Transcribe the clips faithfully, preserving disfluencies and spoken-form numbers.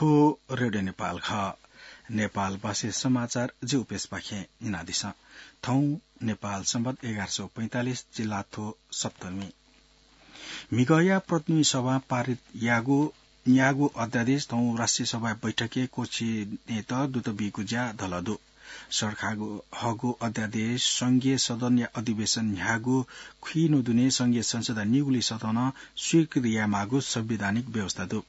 ओ रेडियो नेपाल खः। नेपाल भाषी समाचार जि उपेशपाखें न्यनादिसँ। थौं नेपाल संवत एघार सौ पैंतालिस जिल्लाथ्व सप्तमी। म्हिगःया प्रतिनिधि सभां पारित याःगु न्यागू अध्यादेश थौं राष्ट्रिय सभा बैठकय् क्वःछिनेत दुत बीगु ज्या धल दु। सरकारगु हःगु अध्यादेश संघीय सदनया अधिवेशन न्ह्यागु खुइन्हु दुने संघीय संसदया निगुली सदनं स्वीकृति यायेमाःगु संवैधानिक व्यवस्था दु।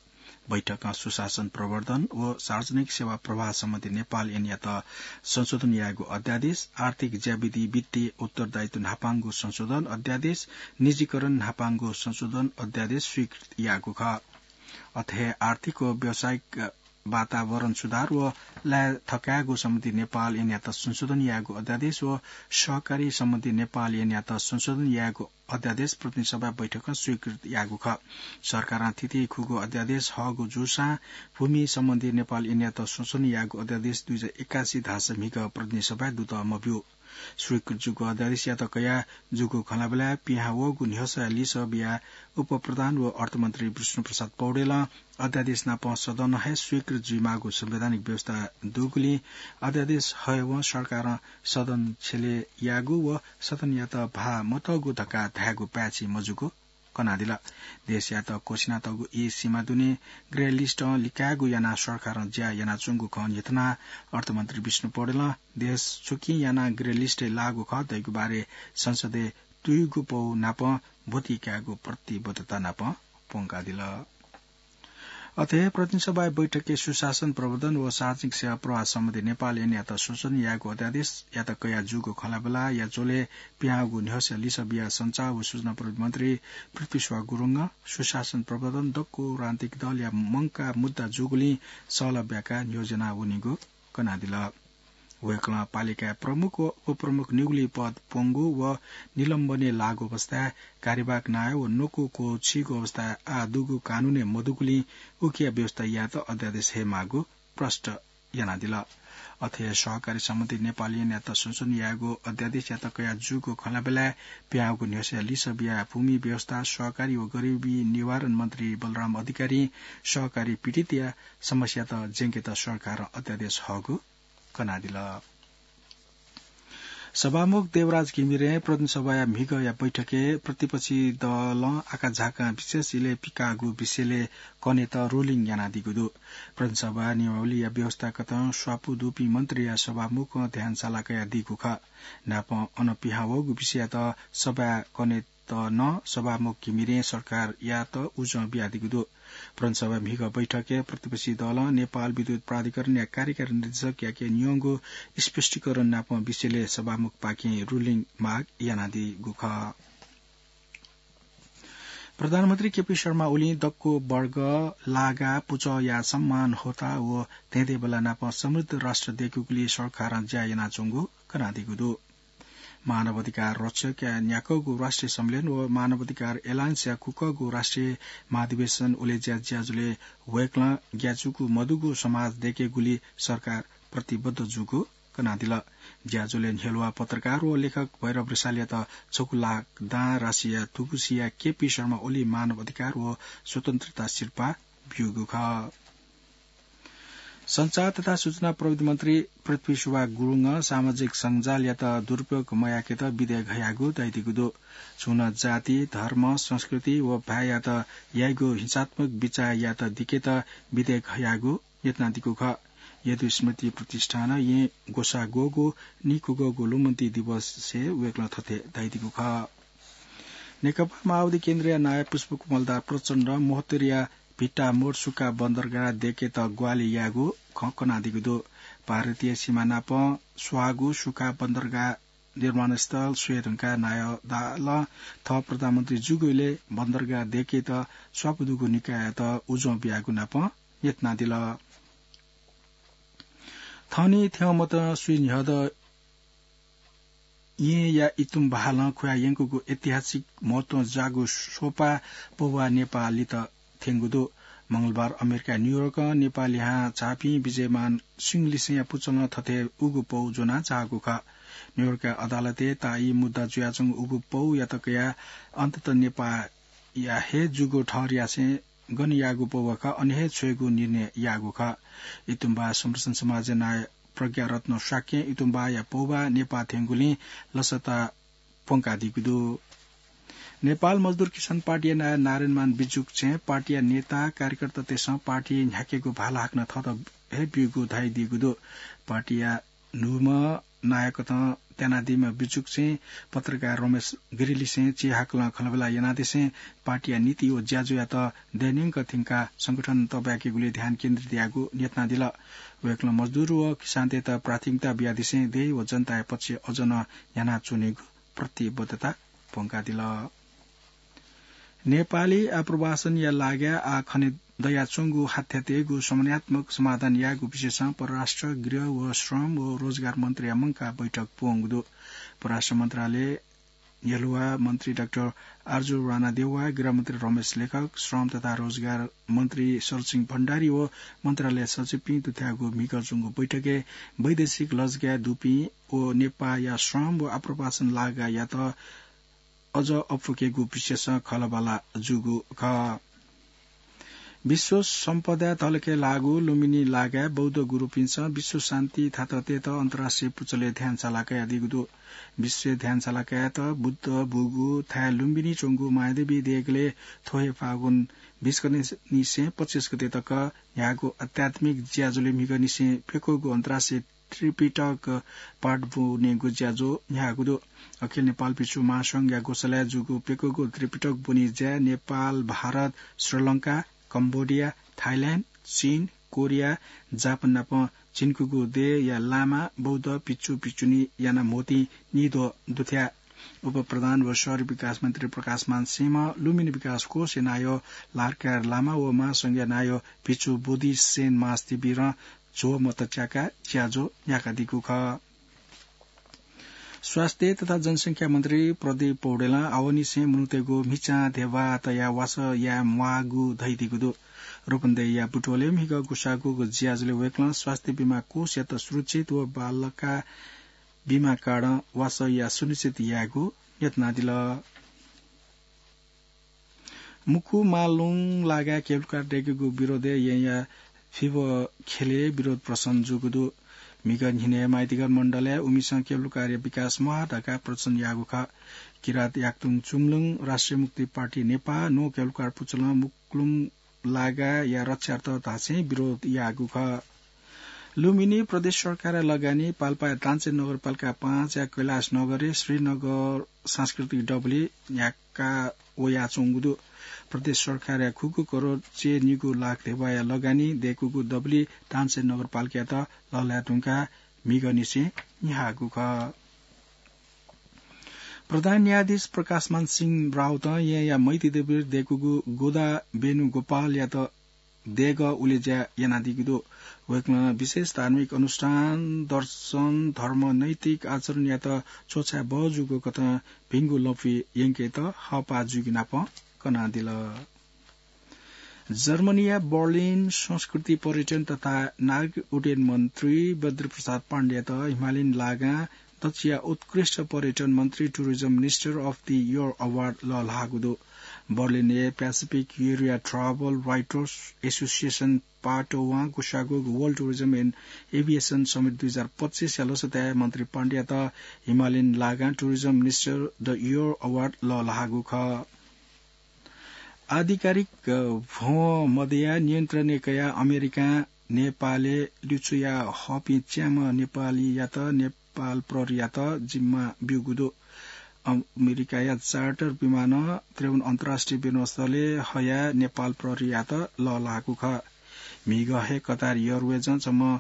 बैठकं सुशासन प्रवर्धन व सार्वजनिक सेवा प्रवाह सम्बन्धी नेपाल ऐनयात संशोधन यायेगु अध्यादेश, आर्थिक ज्याविधि वित्तीय उत्तरदायित्व न्हापांगु संशोधन अध्यादेश, निजीकरण न्हापांगु संशोधन अध्यादेश स्वीकृत याःगु खः। अथे हे आर्थिक व व्यावसायिक वातावरण सुधार व लाये थकायेगु सम्बन्धी नेपाल ऐनयात संशोधन यायेगु अध्यादेश व सहकारी सम्बन्धी नेपाल ऐनयात संशोधन यायेगु अध्यादेश प्रतिनिधि सभा बैठकं स्वीकृत याःगु खः। सरकारं थीथी खुगू अध्यादेश हःगु जूसां भूमि सम्बन्धी नेपाल ऐनयात संशोधन याःगु अध्यादेश दुई हजार एकासी धाःसा म्हिगः प्रतिनिधि सभाय् दुत मब्यू। स्वीकृत जूगु अध्यादेशयात कयाः जूगु खँल्हाबल्हाय् पिहां वःगु न्ह्यसःया लिसः बियाः उपप्रधान व अर्थमन्त्री विष्णुप्रसाद पौडेलं अध्यादेश नाप सदनं हे स्वीकृत जुइमाःगु संवैधानिक व्यवस्था दुगुलिं अध्यादेश हयेवं सरकारं सदन छ्यले याःगु व सदनयात भाः मतःगु धकाः धायेगु पाय्छि मजूगु कनादिल। देशयात क्वःछिनातःगु ई सीमा दुने ग्रे लिस्टं लिकायेगु यानाः सरकारं ज्या यानाच्वंगु खँ न्ह्यथनाः अर्थमन्त्री विष्णु पौडेलं देश छुकिं यानाः ग्रे लिस्टय् लाःगु खः धइगु बारे संसदय् तुयुगु पौ नाप ब्वति कायेगु प्रतिबद्धता नाप प्वंकादिल। अथे हे प्रतिनिधि सभा बैठकय् सुशासन प्रवर्धन व सार्वजनिक सेवा प्रवाह सम्बन्धी नेपाल ऐनयात संशोधन यायेगु अध्यादेशयात कयाः जूगु खँल्हाबल्हाया झ्वलय् पिहां वःगु न्ह्यसःया लिसः बियाः सञ्चार व सूचना प्रविधि मन्त्री पृथ्वी सुवास गुरुङं सुशासन प्रवर्धन दक्व राजनीतिक दलया मंकाः मुद्दा जूगुलिं सहलह ब्याकाः न्ह्यज्याना वनीगु कनादिल। वय्कलं पालिकाय् प्रमुख व उपप्रमुख निगुली पद प्वंगु व निलम्बनय् लाःगु अवस्थाय् कार्यवाहक नायः व नकु क्वःछीगु अवस्थाय् आः दुगु कानूनय् मदुगुलिं उकिया व्यवस्था यायेत अध्यादेश हयेमाःगु प्रष्ट यानादिल। अथे हे सहकारी सम्बन्धी नेपाल ऐनयात संशोधन यायेगु अध्यादेशयात कयाः जूगु खँल्हाबल्हाय् पिहां वःगु न्ह्यसःया लिसः बियाः भूमि व्यवस्था, सहकारी व गरिबी निवारण मन्त्री बलराम अधिकारीं सहकारी पीडितया समस्यात ज्यंकेत सरकारं अध्यादेश हःगु कनादिल। सभामुख देवराज घिमिरें प्रतिनिधि सभाया म्हिगःया बैठकय् प्रतिपक्षी दलं आकाझाकां विशेष इलय् पिकाःगु विषयलय् कनेत ruling यानादीगु दु। प्रतिनिधि सभा नियमावलीया व्यवस्थागतं स्वापू दुपिं मन्त्रीया सभामुखं ध्यान साला कयादीगु खः। नापं अन पिहां वःगु विषययात सभाय् कनेत नं सभामुख घिमिरें सरकारयात उजं बियादीगु दु। प्रतिनिधि सभा म्हिगः बैठकय् प्रतिपक्षी दलं नेपाल विद्युत प्राधिकरणया कार्यकारी निर्देशकयाके न्यंगु स्पष्टीकरण नापं विषयलय् सभामुखपाखें ruling माग यानादीगु खः। प्रधानमन्त्री केपी शर्मा ओलीं दक्व वर्ग, लागा, पुचःया सम्मान, होता व धेंधेंबल्ला नाप समृद्ध राष्ट्र दयेकेगुली सरकारं ज्या यानाच्वंगु कनादीगु दु। मानव अधिकार रक्षकया न्याकःगु राष्ट्रिय सम्मेलन व मानव अधिकार एलायन्सया कुकःगु राष्ट्रिय महाधिवेशन उलेज्या ज्याझ्वलय् वय्कलं ग्याचुकू मदुगु समाज दयेकेगुली सरकार प्रतिबद्ध जूगु कनादिल। ज्याझ्वलय् न्ह्यलुवा पत्रकार व लेखक भैरव रिसालयात छगू लाख दां राशिया तुगुसिया केपी शर्मा ओली मानव अधिकार व स्वतन्त्रता सिरपाः ब्यूगु खः। सञ्चार तथा सूचना प्रविधि मन्त्री पृथ्वी सुवाह गुरुङं सामाजिक सञ्जालयात दुरुपयोग मयाकेत विधेयक हयागु धयादीगु दु। छुं नं जाति, धर्म, संस्कृति व भाय्‌यात याइगु हिंसात्मक बिचाःयात दिकेत विधेयक हयागु न्ह्यथनादीगु खः। यदु स्मृति प्रतिष्ठानं येँ ग्वसाः ग्वःगु निकूगःगु लुमन्ति दिवसय् वय्‌कलं थथे धयादीगु खः। नेकपा माओवादी केन्द्रया नायः पुष्पकमल दाहाल प्रचण्डं महोत्तरीया भिट्टामोड सुकाः बन्दरगाह दयेकेत ग्वाहालि याःगु खँ कनादीगु दु। भारतीय सीमा नाप स्वाःगु सुकाः बन्दरगाह निर्माणस्थल स्वये धुंकाः नायः दाहालं थः प्रधानमन्त्री जूगु इलय् बन्दरगाह दयेकेत स्वापू दुगु निकाययात उजं बियागु नाप न्ह्यथनादिल। थःनि थें मतं स्वीन्ह्यःदँ येँया इतुम बहालं खुया यंकूगु ऐतिहासिक महत्वं जाःगु सोपा पौवा नेपाः लित थ्यंगु दु। मंगलबार अमेरिका न्यूयोर्कं नेपाः लिहां झाःपिं विजयमान सिंह लिसेंया पुचलं थथे उगु पौ ज्वना झाःगु खः। न्यूयोर्कया अदालतय् ताःई मुद्दा जुयाच्वंगु उगु पौयात कयाः अन्ततः नेपाःया हे जूगु ठहर यासें गन याःगु पौवा खः, अन हे छ्वयेगु निर्णय याःगु खः। इतुम्बा संरक्षण समाजया नायः प्रज्ञारत्न शाक्यं इतुम्बाया पौवा नेपाः थ्यंगुलिं लसता प्वंकादीगु दु। नेपाल मजदुर किसान पार्टीया नायः नारायणमान बिजुक चाहिँ पार्टीया नेता कार्यकर्तातय्सं पार्टी न्ह्याकेगु भाला हाकनं थःत हे ब्यूगु धयादीगु दु। पार्टीया न्हूम्ह नायकतं त्यानादीम्ह बिजुक चाहिँ पत्रकार रमेश गिरीलिसें चिहाकलं खँल्हाबल्हा यानादिसें पार्टीया नीति व ज्याझ्वःयात दैनिक थिंका संगठन तबाय्केगुलि ध्यान केन्द्रित यायेगु न्ह्यथनादिल। वय्कलं मजदुर व किसानतय्त प्राथमिकता बियादिसें देय् व जनताया पक्ष अझ नं यानाच्वनेगु प्रतिबद्धता प्वंकादिल। नेपाली आप्रवासनया लागाय् आः खने दयाच्वंगु हाथ्यातय्गु समन्वयात्मक समाधान यायेगु विषयसं परराष्ट्र, गृह व श्रम व रोजगार मन्त्रीया मंकाः बैठक प्वंगु दु। परराष्ट्र मन्त्रालय न्ह्यलुवा मन्त्री डाक्टर आर्जु राणा देउवा, गृहमन्त्री रमेश लेखक, श्रम तथा रोजगार मन्त्री शरदसिंह भण्डारी व मन्त्रालय सचिवपिं दुथ्याःगु म्हिगः च्वंगु बैठकय् वैदेशिक लजगाय् दुपिं व नेपाःया श्रम व आप्रवासन लागाय्‌यात अझ अप्वकेगु विषयसं खँल्हाबल्हा जूगु खः। विश्व सम्पदा तलके लाःगु लुम्बिनी लागाय् बौद्ध गुरुपिन्सं विश्व शान्ति थातःतय्त अन्तर्राष्ट्रिय पुचलय् ध्यान साला कयादीगु दु। विश्व ध्यान साला कयात बुद्ध बूगु थाय् लुम्बिनी च्वंगु मायादेवी देगलय् थ्व हे फागुन बीस गतेनिसें पच्चिस गते तक न्ह्याःगु आध्यात्मिक ज्याझ्वलय् म्हिगःनिसें प्यक्वःगु अन्तर्राष्ट्रिय त्रिपिटक पाठ ब्वनेगु ज्याझ्वः न्ह्याःगु दु। अखिल नेपाल भिक्षु महासंघया ग्वसालय् जूगु प्यक्वःगु त्रिपिटक ब्वने ज्याय् नेपाल, भारत, श्रीलंका, कम्बोडिया, थाइल्याण्ड, चीन, कोरिया, जापान नाप झिंकूगु देय्‌या लामा, बौद्ध भिक्षु भिक्षुणी यानाः म्होतिं निद्वः दुथ्याः। उपप्रधान व शहरी विकास मन्त्री प्रकाशमान सिंहं लुम्बिनी विकास कोषया नायः लार्कार लामा व महासंघया नायः भिक्षु बोधिसेन महास्थिविरं झ्वः मत च्याकाः ज्याझ्वः न्ह्याकादीगु खः। स्वास्थ्य तथा जनसंख्या मन्त्री प्रदीप पौडेलं आवंनिसें मनूतय्गु म्हिचां ध्यबा तयाः वासः याये म्वाःगु धयादीगु दु। रूपन्देहीया बुटवलय् म्हिगः ग्वसाःगु ज्याझ्वलय् वय्कलं स्वास्थ्य बीमा कोषयात सुरक्षित व बालका बीमा कार्डं वासः याये सुनिश्चित यायेगु न्ह्यथनादिल। मुक्कु मालुङ लागाय् केबुल कार दय्केगु विरोधय् येँया फिबः ख्यलय् विरोध प्रदर्शन जूगु दु। म्हिगः न्हिनय् माइतीघर मण्डलय् उमिसं केबुल कारया विकास म्वाः धकाः प्रदर्शन याःगु खः। किरात याकतुङ चुमलुङ राष्ट्रिय मुक्ति पार्टी नेपाः नं केबुल कार पुचलं मुक्लुङ लागाया रक्षार्थ धासें विरोध याःगु खः। लुम्बिनी प्रदेश सरकारया लगानी पाल्पाया दाञ्चे नगरपालिका पाँचया कैलाश नगरय् श्रीनगर सांस्कृतिक डबलय् न्ह्याका वयाच्वंगु दु। प्रदेश सरकारया खुगू करोड च्यय्निगू लाख ध्यबाया लगानी दय्कूगु डबलय् दाञ्चे नगरपालिकायात लःल्हाये धुंकाः म्हिगःनिसें न्ह्याःगु खः। प्रधान न्यायाधीश प्रकाशमान सिंह राउतं येँया मैतीदेवीर दय्कूगु गोदा वेणुगोपालयात देगः उलेज्या यानादीगु दु। वय्कलं विशेष धार्मिक अनुष्ठान, दर्शन, धर्म, नैतिक आचरणयात च्वछाये बहःजूगु कथं भिंगु लँपुइ यंकेत हःपाः जूगु नाप कनादिल। जर्मनीया बर्लिन संस्कृति, पर्यटन तथा नागरिक उड्डयन मन्त्री बद्रीप्रसाद पाण्डेयात हिमालयन लागां दच्छिया उत्कृष्ट पर्यटन मन्त्री, Tourism Minister of the Year Award लःल्हाःगु दु। बर्लिनय् Pacific Area Travel Writers Association पाटोवां ग्वसाःगु World Tourism and Aviation Summit दुई हजार पच्चिसया लसताय् मन्त्री पाण्डेयात हिमालयन लागां Tourism Minister the Year Award लःल्हाःगु खः। आधिकारिक भ्वं मदया नियन्त्रणय् कयाः अमेरिकां नेपालय् लिच्वया हःपिं च्याम्ह नेपालीयात नेपाल प्रहरीयात जिम्मा ब्यूगु दु। अमेरिकाया चार्टर विमानं त्रेपन्न अन्तर्राष्ट्रिय विमानस्थलय् हयाः नेपाल प्रहरीयात लःल्हाःगु खः। म्हिगः हे कतार एयरवेजं छम्ह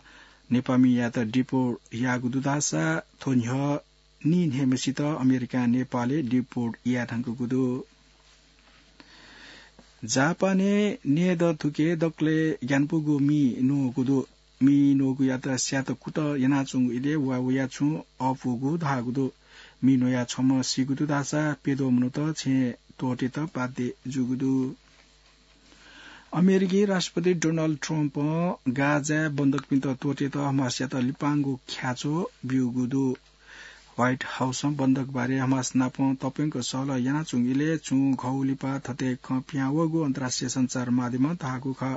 नेपाःमियात डिपोर्ट याःगु दु धाःसा थ्व न्ह्यः नीन्हय्म्हसित अमेरिकां नेपालय् डिपोर्ट याये धुंकूगु दु। जापानय् न्यय्दँ थुके दकलय् ग्यानापुगु मि न्वःगु दु। मि न्वःगुयात स्यात कुतः यानाच्वंगु इलय् वा वया छुं अःपुगु धाःगु दु। मि न्वयाः छम्ह सीगु दु धाःसा प्यद्वः मनूत छेँय् त्वःतेत बाध्य जूगु दु। अमेरिकी राष्ट्रपति डोनाल्ड ट्रम्पं गाजाय् बन्धकपिन्त त्वःतेत हमासयात लिपांगु ख्याच्वः ब्यूगु दु। व्हाइट हाउसं बन्दक बारे हमास नाप तप्यंक सहलह यानाच्वंगु इलय् छुं घौ लिपा थथे खँ पिहां वःगु अन्तर्राष्ट्रिय सञ्चार माध्यमं धाःगु खः।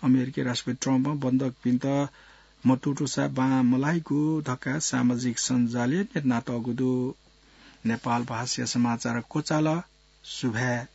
अमेरिकी राष्ट्रपति ट्रम्पं बन्दकपिन्त मतुतुसा बां मलाइगु धकाः सामाजिक सञ्जालय् न्ह्यथनातःगु दु। नेपाल भाषाया समाचार क्वचाल। सुभाय्।